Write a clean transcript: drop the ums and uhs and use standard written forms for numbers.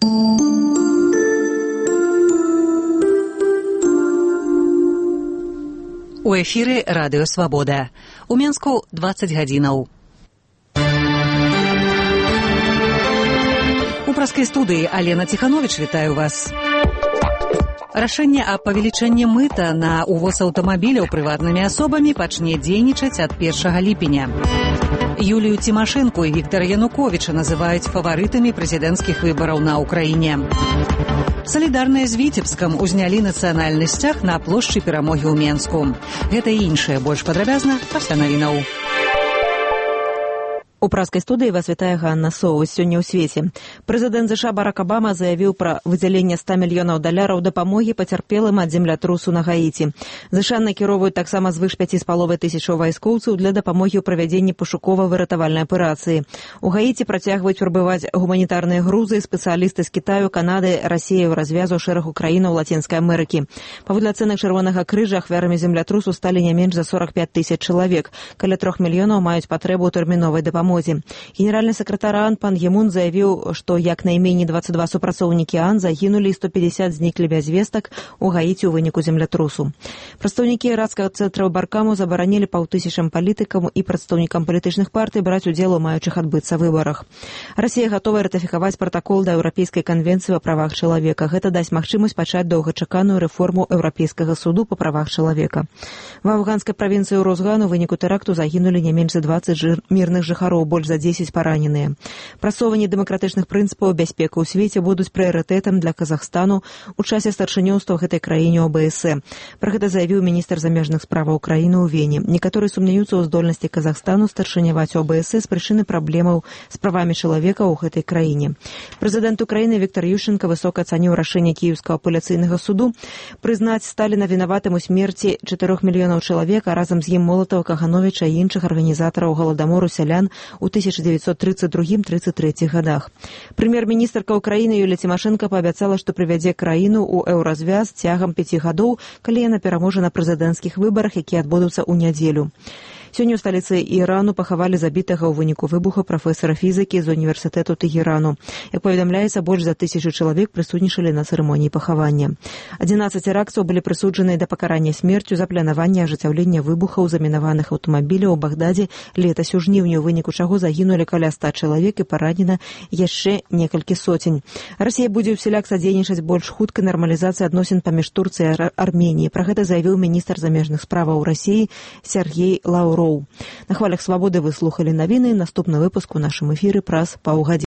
У эфіры радыё Свабода. У Менску 20 гадзінаў. У праскай студыі Алена Ціхановіч вітаю вас. Рашэнне аб павелічэнні мыта на увоз аўтамабіляў прыватнымі асобамі пачне дзейнічаць ад 1 ліпеня. Юлію Цімашэнку і Віктара Януковіча называюць фаварытамі прэзідэнцкіх выбараў на Ўкраіне. Салідарныя з Віцебскам узнялі нацыянальны сцяг на плошчы Перамогі ў Менску. Гэта і іншае больш падрабязна пасля навінаў. У праскай студыі вас вітае Ганна Соус. Сёння ў свеце. Прэзідэнт США Барак Абама заявіў пра выдзяленне $100 мільёнаў дапамогі пацярпелым ад землятрусу на Гаіці. США накіроўваюць таксама звыш 5,5 тысячаў вайскоўцаў для дапамогі ў правядзенні пошукова-выратавальнай аперацыі. У Гаіці працягваюць прыбываць гуманітарныя грузы, спецыялісты з Кітаю, Канады, Расіі, развязу шэрагу краінаў Лацінскай Амерыкі. Паводле ацэнак Чырвонага крыжа ахвярамі землятрусу сталі не менш за 45 тысяч чалавек. Каля 3 мільёнаў маюць патрэбу ў тэрміновай дапамогі. Генеральны сакратар ААН пан Гемун заявіў, што як найменей 22 супрацоўнікі ААН загінулі і 150 зніклі без вестак у Гаіці ў выніку землятрусу. Прадстаўнікі іракскага цэнтра Баркаму забаранілі 500 палітыкам і прадстаўнікам палітычных партый браць удзел у маючых адбыцца выбарах. Расія гатовая ратыфікаваць пратакол да Еўрапейскай канвенцыі па правах чалавека. Гэта дасць магчымасць пачаць доўгачаканую рэформу Еўрапейскага суду па правах чалавека. В афганскай правінцыі Урузган у выніку тэракту загінулі не менш за 20 мірных жыхароў, больш за 10 параненыя. Прасоўванне дэмакратычных прынцыпаў бяспекі ў свеце будуць прыярытэтам для Казахстану ў часе старшынёўства гэтай краіне ОБСЕ. Пра гэта заявіў міністр замежных справаў Украіны ў Вені. Некаторыя сумняюцца ў здольнасці Казахстану старшыняваць ОБСЕ з прычыны праблемаў з правамі чалавека ў гэтай краіне. Прэзідэнт Украіны Віктар Ющенка высока ацаніў рашэнне Кіеўскага апеляцыйнага суду прызнаць Сталіна вінаватым у смерці 4 мільёнаў чалавек, а разам з ім Молатава, Кагановіча і іншых арганізатараў галадамору сялян у 1932-33 годах. Прэм'ер-міністрка Украіны Юлія Цімашэнка паабяцала, што прывядзе краіну ў еўразвяз цягам 5 гадоў, калі яна пераможа на прэзідэнцкіх выбарах, якія адбудуцца ў нядзелю. Сёння ў сталіцы Ірану пахавалі забітага ў выніку выбуха прафесара фізікі з універсітэту Тегерану. Як паведамляецца, больш за 1000 чалавек прысутнічалі на цырымоніі пахавання. 11 тэрактаў былі прысуджаныя да пакарання смерцю за планаванне ажыццяўлення выбухаў замінаваных аўтамабіляў у Багдадзе летась у жніўні, у выніку чаго загінулі каля 100 чалавек і паранена яшчэ некалькі сотень. Расія будзе ўсяляк садзейнічаць больш хуткай нармалізацыі адносін паміж Турцыяй і Арменіяй. Пра гэта заявіў міністр замежных справаў Расіі Сергей Лаўроў. На хвалях Свабоды вы слухалі навіны. Наступны выпуск у нашым эфіры праз паўгадзіны.